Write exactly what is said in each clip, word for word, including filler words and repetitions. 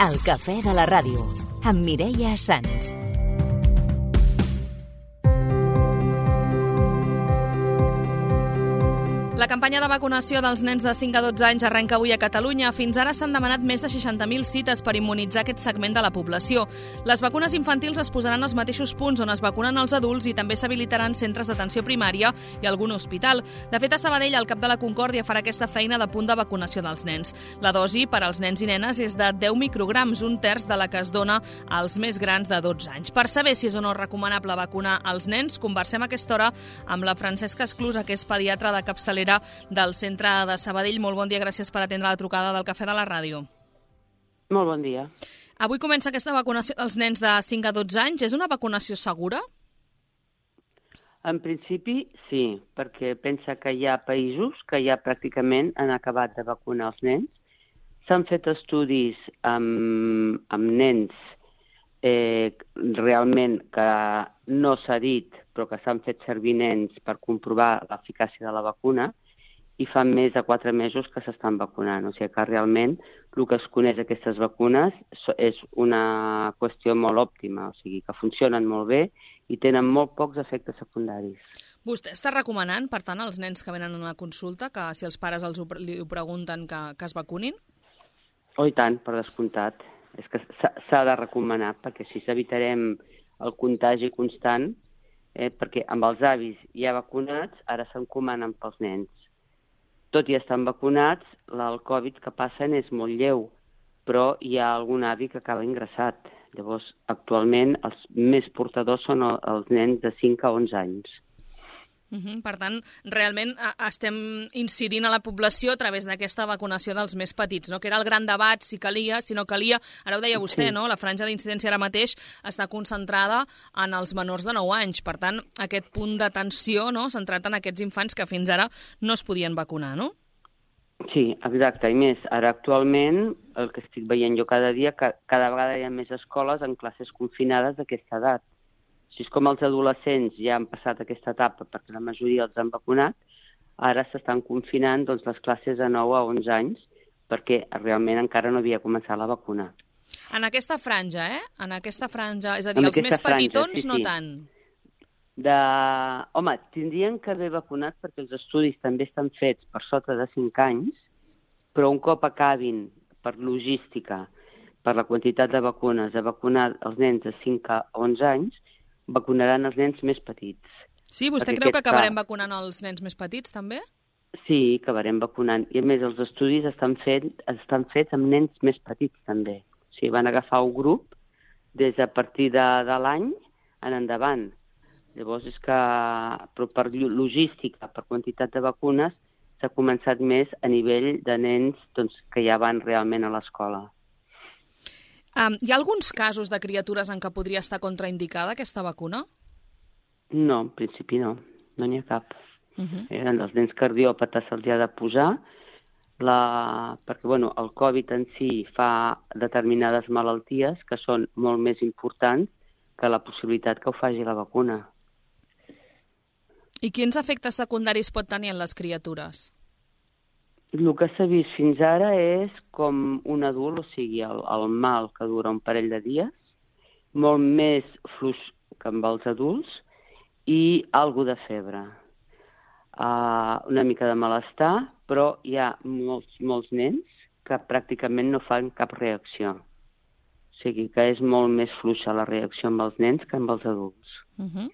El cafè de la ràdio, amb Mireia Sans. La campanya de vacunació dels nens de cinc a dotze anys arrenca avui a Catalunya. Fins ara s'han demanat més de seixanta mil cites per immunitzar aquest segment de la població. Les vacunes infantils es posaran als mateixos punts on es vacunen els adults i també s'habilitaran centres d'atenció primària i algun hospital. De fet, a Sabadell, el cap de la Concòrdia farà aquesta feina de punt de vacunació dels nens. La dosi per als nens i nenes és de deu micrograms, un terç de la que es dona als més grans de dotze anys. Per saber si és o no recomanable vacunar els nens, conversem a aquesta hora amb la Francesca Esclusa, que és pediatra de capçalera del centre de Sabadell. Molt bon dia, gràcies per atendre la trucada del Cafè de la Ràdio. Molt bon dia. Avui comença aquesta vacunació dels nens de cinc a dotze anys. És una vacunació segura? En principi, sí, perquè pensa que hi ha països que ja pràcticament han acabat de vacunar els nens. S'han fet estudis amb, amb nens eh, realment que no s'ha dit, però que s'han fet servir nens per comprovar l'eficàcia de la vacuna, i fa més de quatre mesos que s'estan vacunant. O sigui que realment el que es coneix d'aquestes vacunes és una qüestió molt òptima, o sigui que funcionen molt bé i tenen molt pocs efectes secundaris. Vostè està recomanant, per tant, als nens que venen a una consulta, que si els pares els ho, li ho pregunten, que, que es vacunin? Oh, i tant, per descomptat. És que s'ha de recomanar, perquè així evitarem el contagi constant, eh, perquè amb els avis ja vacunats ara s'encomanen pels nens. Tot i estan vacunats, el Covid que passen és molt lleu, però hi ha algun avi que acaba ingressat. Llavors, actualment, els més portadors són els nens de cinc a onze anys. Uh-huh. Per tant, realment estem incidint a la població a través d'aquesta vacunació dels més petits, no? Que era el gran debat, si calia, si no calia. Ara ho deia vostè, sí. No? La franja d'incidència ara mateix està concentrada en els menors de nou anys. Per tant, aquest punt d'atenció, no?, centrat en aquests infants que fins ara no es podien vacunar, no? Sí, exacte. I més, ara actualment, el que estic veient jo cada dia, que cada vegada hi ha més escoles en classes confinades d'aquesta edat. Així com els adolescents ja han passat aquesta etapa perquè la majoria els han vacunat, ara s'estan confinant doncs, les classes de nou a onze anys perquè realment encara no havia començat la vacuna. En aquesta franja, eh? En aquesta franja, és a dir, els més petitons sí, sí. no tant. De... Home, tindrien que haver vacunat perquè els estudis també estan fets per sota de cinc anys, però un cop acabin per logística, per la quantitat de vacunes, de vacunar els nens de cinc a onze anys, vacunaran els nens més petits. Sí, vostè creu que acabarem vacunant els nens més petits, també? Sí, acabarem vacunant. I a més, els estudis estan, fet, estan fets amb nens més petits, també. O sigui, van agafar un grup des de a partir de, de l'any en endavant. Llavors, és que però per logística, per quantitat de vacunes, s'ha començat més a nivell de nens doncs, que ja van realment a l'escola. Um, hi ha alguns casos de criatures en què podria estar contraindicada aquesta vacuna? No, en principi no. No n'hi ha cap. Uh-huh. eh, els nens cardiòpates se'ls ha de posar, la... perquè bueno, el Covid en si fa determinades malalties que són molt més importants que la possibilitat que ho faci la vacuna. I quins efectes secundaris pot tenir en les criatures? El que s'ha vist fins ara és com un adult, o sigui, el, el mal que dura un parell de dies, molt més fluix que amb els adults i algo de febre. Uh, una mica de malestar, però hi ha molts, molts nens que pràcticament no fan cap reacció. O sigui que és molt més fluixa la reacció amb els nens que amb els adults. Uh-huh.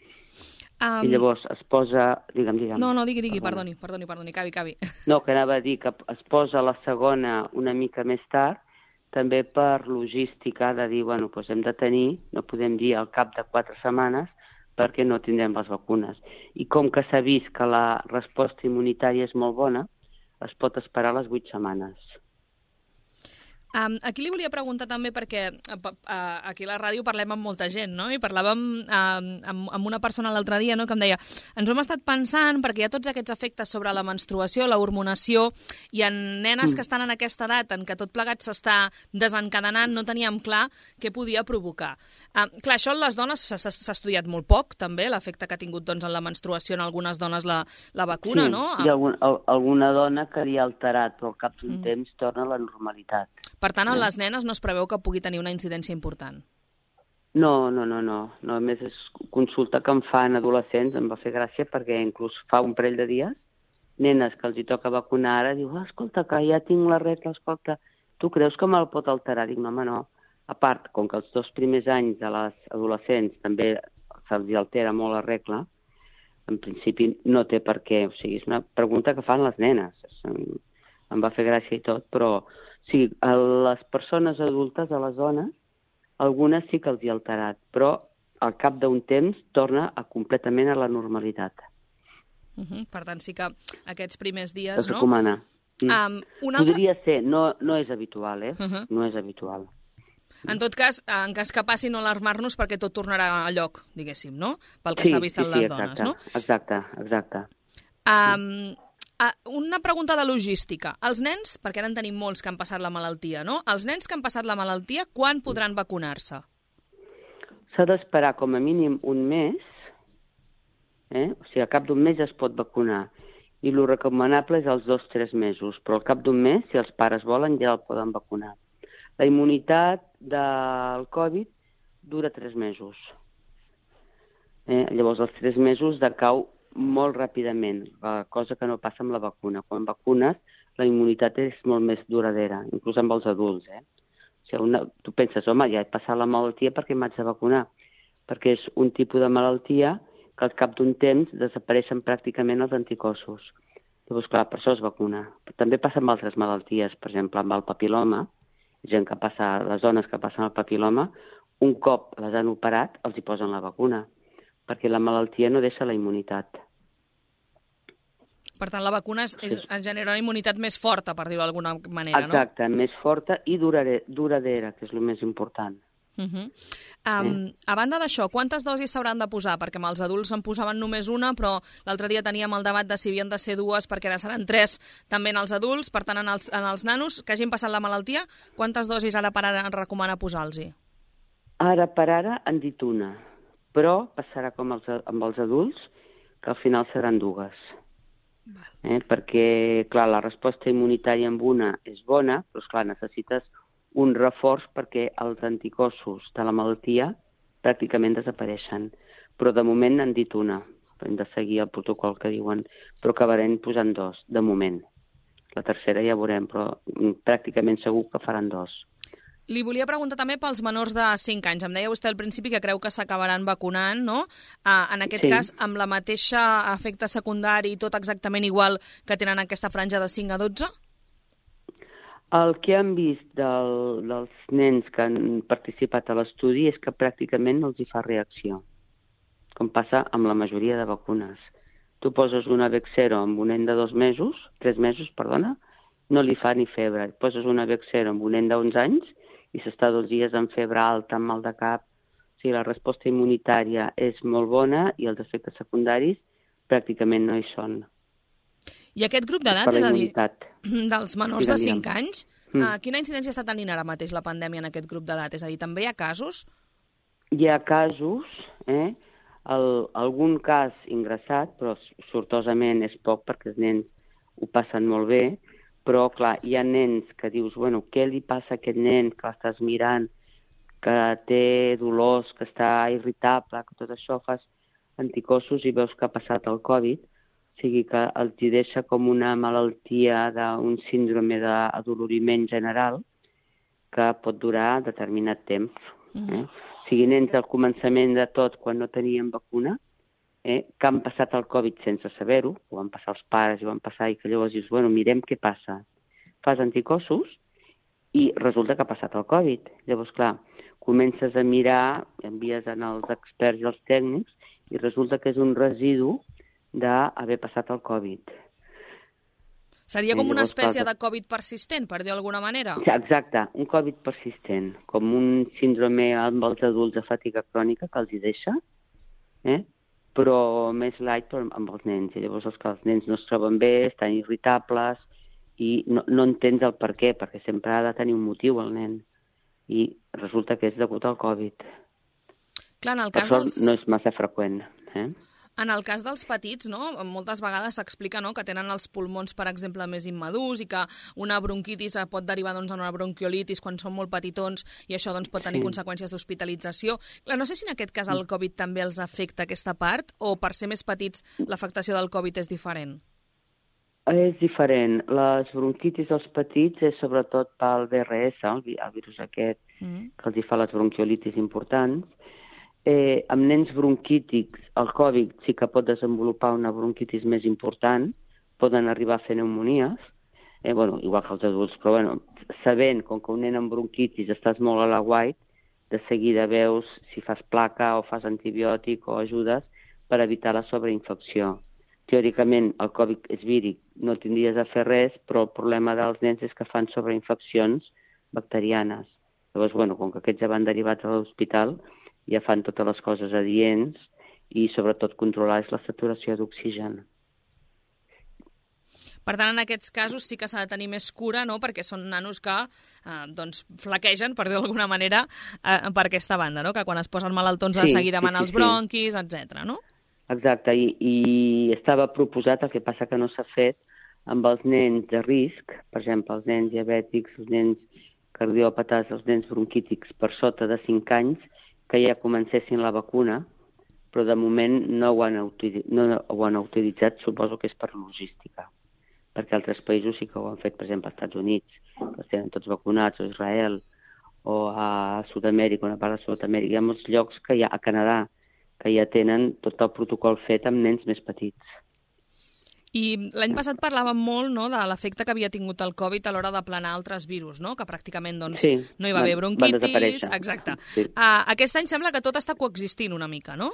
Um... I llavors es posa... Digue'm, digue'm. No, no, digui, digui, perdoni, perdoni, perdoni, cavi, cavi. No, que anava a dir que es posa la segona una mica més tard, també per logística de dir, bueno, doncs hem de tenir, no podem dir al cap de quatre setmanes, perquè no tindrem les vacunes. I com que s'ha vist que la resposta immunitària és molt bona, es pot esperar les vuit setmanes. Um, aquí li volia preguntar també perquè uh, aquí a la ràdio parlem amb molta gent, no? I parlàvem uh, amb, amb una persona l'altre dia, no?, que em deia ens ho hem estat pensant perquè hi ha tots aquests efectes sobre la menstruació, la hormonació, i en nenes mm. que estan en aquesta edat en què tot plegat s'està desencadenant, no teníem clar què podia provocar. Uh, clar, això en les dones s'ha estudiat molt poc, també, l'efecte que ha tingut doncs, en la menstruació en algunes dones la, la vacuna, sí, no? Hi ha algun, alguna dona que li ha alterat, però al cap d'un mm. temps torna a la normalitat. Per tant, en les nenes no es preveu que pugui tenir una incidència important. No, no, no, no. no. A més, és consulta que em fan adolescents, em va fer gràcia perquè inclús fa un parell de dies, nenes que els hi toca vacunar ara, diu, oh, escolta, que ja tinc la regla, escolta, tu creus que me'l pot alterar? Dic, no, home, no. A part, com que els dos primers anys de les adolescents també se'ls altera molt la regla, en principi no té per què. O sigui, és una pregunta que fan les nenes. Em va fer gràcia i tot, però sí, a les persones adultes, a les dones, algunes sí que els hi ha alterat, però al cap d'un temps torna a completament a la normalitat. Uh -huh. Per tant, sí que aquests primers dies, es no? recomana. Mm. Um, una altra... Podria ser, no, no és habitual, eh? Uh -huh. No és habitual. En tot cas, en cas que passi, no alarmar-nos perquè tot tornarà a lloc, diguéssim, no? Pel que sí, s'ha vist sí, en sí, les exacte, dones, no? Exacte, exacte. Um, uh, una pregunta de logística. Els nens, perquè ara en tenim molts que han passat la malaltia, no? Els nens que han passat la malaltia, quan podran vacunar-se? S'ha d'esperar com a mínim un mes, eh? O sigui, a cap d'un mes ja es pot vacunar. I el recomanable és als dos o tres mesos, però al cap d'un mes, si els pares volen, ja el poden vacunar. La immunitat del Covid dura tres mesos. Eh? Llavors, els tres mesos decau molt ràpidament, cosa que no passa amb la vacuna. Quan vacunes, la immunitat és molt més duradera, inclús amb els adults. Eh? O sigui, una, tu penses, home, ja he passat la malaltia perquè m'haig de vacunar, perquè és un tipus de malaltia que al cap d'un temps desapareixen pràcticament els anticossos. Llavors, clar, per això es vacuna. També passa amb altres malalties, per exemple, amb el papiloma, gent que passa, les dones que passen el papiloma, un cop les han operat, els hi posen la vacuna, perquè la malaltia no deixa la immunitat. Per tant, la vacuna és, és, ens genera una immunitat més forta, per dir-ho d'alguna manera, no? Exacte, més forta i durare, duradera, que és el més important. Uh -huh. um, eh? A banda d'això, quantes dosis s'hauran de posar? Perquè amb els adults en posaven només una, però l'altre dia teníem el debat de si havien de ser dues, perquè ara seran tres també en els adults. Per tant, en els, en els nanos que hagin passat la malaltia, quantes dosis ara per ara recomana posar-los? Ara per ara han dit una, però passarà com els, amb els adults, que al final seran dues. Eh? Perquè, clar, la resposta immunitària amb una és bona, però, esclar, necessites un reforç perquè els anticossos de la malaltia pràcticament desapareixen. Però de moment n'han dit una. Hem de seguir el protocol que diuen, però acabarem posant dos, de moment. La tercera ja veurem, però pràcticament segur que faran dos. Li volia preguntar també pels menors de cinc anys. Em deia vostè al principi que creu que s'acabaran vacunant, no? Uh, en aquest sí. cas, amb la mateixa efecte secundari i tot exactament igual que tenen aquesta franja de cinc a dotze? El que han vist del, dels nens que han participat a l'estudi és que pràcticament no els hi fa reacció, com passa amb la majoria de vacunes. Tu poses una Bexero amb un nen de dos mesos, tres mesos, perdona, no li fa ni febre. Poses una Bexero amb un nen d'onze anys i s'està dos dies amb febre alta, amb mal de cap. O sigui, la resposta immunitària és molt bona i els efectes secundaris pràcticament no hi són. I aquest grup d'edat, és a dir, dels menors de cinc anys, mm. uh, quina incidència està tenint ara mateix la pandèmia en aquest grup d'edat? És a dir, també hi ha casos? Hi ha casos, eh? El, algun cas ingressat, però sortosament és poc perquè els nens ho passen molt bé, però, clar, hi ha nens que dius, bueno, què li passa a aquest nen que l'estàs mirant, que té dolors, que està irritable, que tot això fas anticossos i veus que ha passat el Covid, o sigui que els hi deixa com una malaltia d'un síndrome d'adoloriment general que pot durar determinat temps. Eh? Mm-hmm. O sigui, nens al començament de tot, quan no tenien vacuna, eh, que han passat el Covid sense saber-ho, ho van passar els pares i ho van passar, i que llavors dius, bueno, mirem què passa. Fas anticossos i resulta que ha passat el Covid. Llavors, clar, comences a mirar, envies als experts i als tècnics, i resulta que és un residu d'haver passat el Covid. Seria com una espècie de Covid persistent, per dir d'alguna manera? Exacte, un Covid persistent, com un síndrome amb els adults de fatiga crònica que els hi deixa, eh? però més light amb els nens. I llavors els que els nens no es troben bé, estan irritables, i no, no entens el per què, perquè sempre ha de tenir un motiu el nen. I resulta que és degut al Covid. Clar, en el per cas sort dels... no és massa freqüent, eh? En el cas dels petits, no, moltes vegades s'explica, no, que tenen els pulmons, per exemple, més immadurs i que una bronquitis pot derivar doncs, en una bronquiolitis quan són molt petitons i això doncs, pot tenir sí. conseqüències d'hospitalització. Clar, no sé si en aquest cas el Covid també els afecta aquesta part o per ser més petits l'afectació del Covid és diferent? És diferent. Les bronquitis dels petits és sobretot pel V R S, el, el virus aquest mm. que els fa les bronquiolitis importants. Eh, amb nens bronquítics, el Covid sí que pot desenvolupar una bronquitis més important, poden arribar a fer pneumonies, eh, bueno, igual que els adults, però bueno, sabent, com que un nen amb bronquitis estàs molt a la guait, de seguida veus si fas placa o fas antibiòtic o ajudes per evitar la sobreinfecció. Teòricament, el Covid és víric, no tindries a fer res, però el problema dels nens és que fan sobreinfeccions bacterianes. Llavors, bueno, com que aquests ja van derivats a l'hospital, ja fan totes les coses adients i, sobretot, controlar la saturació d'oxigen. Per tant, en aquests casos sí que s'ha de tenir més cura, no?, perquè són nanos que eh, doncs, flaquegen, per dir d'alguna manera, eh, per aquesta banda, no?, que quan es posen malaltons sí, de seguida van sí, sí, als bronquis, sí. etcètera, no? Exacte, I, i estava proposat, el que passa que no s'ha fet, amb els nens de risc, per exemple, els nens diabètics, els nens cardiòpates, els nens bronquítics per sota de cinc anys, que ja comencessin la vacuna, però de moment no ho han, no ho han utilitzat, suposo que és per logística, perquè altres països sí que ho han fet, per exemple, als Estats Units, que els tenen tots vacunats, o Israel, o a Sud-amèrica, una part de Sud-amèrica. Hi ha molts llocs que hi ha a Canadà, que ja tenen tot el protocol fet amb nens més petits. I l'any passat parlàvem molt, no?, de l'efecte que havia tingut el Covid a l'hora d'aplanar altres virus, no?, que pràcticament doncs, sí, no hi va haver bronquitis. Exacte. Sí. Uh, aquest any sembla que tot està coexistint una mica, no?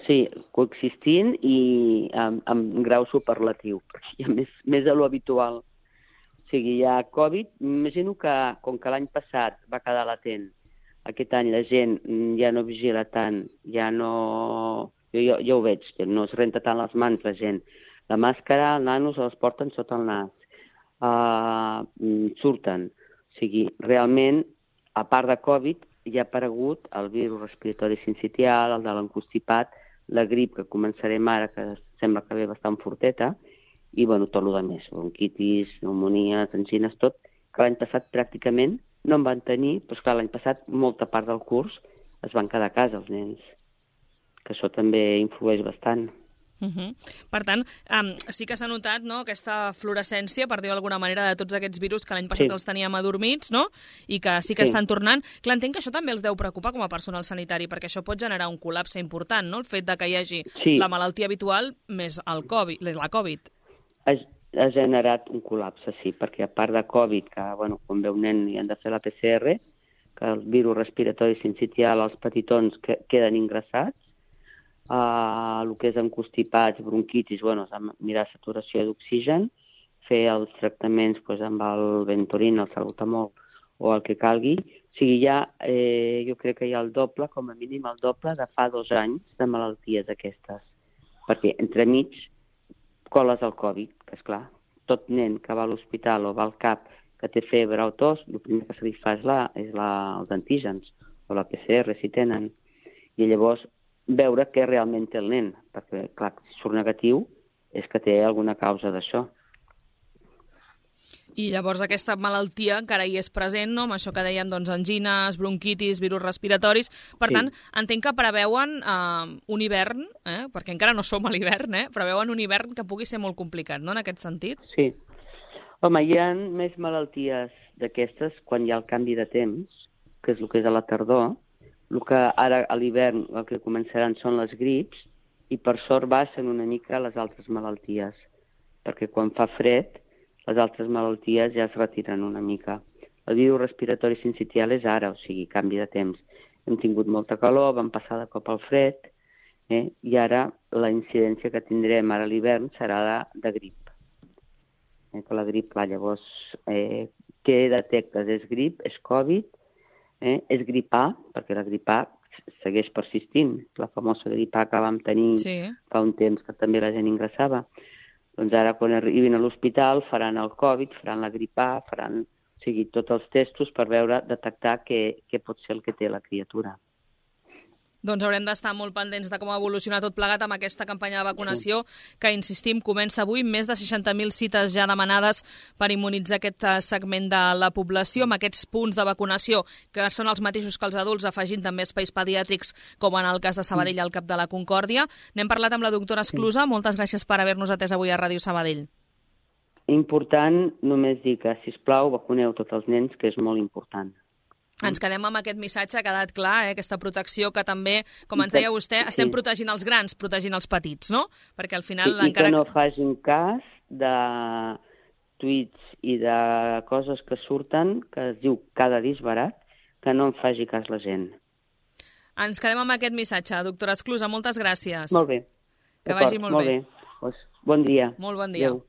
Sí, coexistint i amb, amb grau superlatiu, perquè hi ha més, més de lo habitual. O sigui, hi ha Covid, imagino que com que l'any passat va quedar latent, aquest any la gent ja no vigila tant, ja no... Jo, jo, jo ho veig, que no es renta tant les mans la gent. La màscara, els nanos els porten sota el nas, uh, surten. O sigui, realment, a part de Covid, hi ha aparegut el virus respiratori sincitial, el de l'encostipat, la grip, que començarem ara, que sembla que ve bastant forteta, i, bueno, tot el més, bronquitis, pneumonies, angines, tot, que l'any passat pràcticament no en van tenir, però esclar, l'any passat molta part del curs es van quedar a casa, els nens, que això també influeix bastant. Uh -huh. Per tant, um, sí que s'ha notat, no?, aquesta fluorescència, per dir d'alguna manera, de tots aquests virus que l'any passat sí. els teníem adormits, no?, i que sí que sí. estan tornant. Clar, entenc que això també els deu preocupar com a personal sanitari, perquè això pot generar un col·lapse important, no?, el fet de que hi hagi sí. la malaltia habitual més el Covid, la Covid. Ha, ha generat un col·lapse, sí, perquè a part de Covid, que, bueno, quan ve un nen i han de fer la P C R, que el virus respiratori sincitial, els petitons que queden ingressats, Uh, el que és encostipats, bronquitis, bueno, mirar saturació d'oxigen, fer els tractaments pues, amb el Ventorin, el Salbutamol o el que calgui. O sigui, ja, eh, jo crec que hi ha el doble, com a mínim el doble, de fa dos anys de malalties aquestes. Perquè entremig coles el Covid, que és clar, tot nen que va a l'hospital o va al CAP que té febre o tos, el primer que se li fa és, la, és la, els antígens o la P C R, si tenen. I llavors veure què realment té el nen, perquè, clar, si surt negatiu és que té alguna causa d'això. I llavors aquesta malaltia encara hi és present, no?, amb això que dèiem, doncs, angines, bronquitis, virus respiratoris. Per sí. tant, entenc que preveuen eh, un hivern, eh, perquè encara no som a l'hivern, eh, preveuen un hivern que pugui ser molt complicat, no?, en aquest sentit? Sí. Home, hi ha més malalties d'aquestes quan hi ha el canvi de temps, que és el que és a la tardor. El que ara a l'hivern el que començaran són les grips i per sort baixen una mica les altres malalties, perquè quan fa fred les altres malalties ja es retiren una mica. El virus respiratori sincitial és ara, o sigui, canvi de temps. Hem tingut molta calor, vam passar de cop al fred, eh? I ara la incidència que tindrem ara a l'hivern serà de, de grip. Eh? Que la grip, clar, llavors, eh, què detectes? És grip, és Covid, Eh? és grip A, perquè la grip A segueix persistint, la famosa grip A que vam tenir sí. fa un temps que també la gent ingressava. Doncs ara quan arribin a l'hospital faran el Covid, faran la grip A, faran o sigui, tots els testos per veure, detectar què, què pot ser el que té la criatura. Doncs haurem d'estar molt pendents de com evoluciona tot plegat amb aquesta campanya de vacunació que, insistim, comença avui. Més de seixanta mil cites ja demanades per immunitzar aquest segment de la població amb aquests punts de vacunació que són els mateixos que els adults, afegint també espais pediàtrics com en el cas de Sabadell al Cap de la Concòrdia. N'hem parlat amb la doctora Esclusa. Moltes gràcies per haver-nos atès avui a Ràdio Sabadell. Important només dir que, sisplau, vacuneu tots els nens, que és molt important. Ens quedem amb aquest missatge, ha quedat clar, eh? Aquesta protecció que també, com ens deia vostè, estem sí. protegint els grans, protegint els petits, no? Perquè al final... Sí, encara... I que no facin cas de tuits i de coses que surten, que es diu cada disbarat, que no en faci cas la gent. Ens quedem amb aquest missatge. Doctora Esclusa, moltes gràcies. Molt bé. Que vagi molt, molt bé. bé. Pues, bon dia. Molt bon dia. Adéu.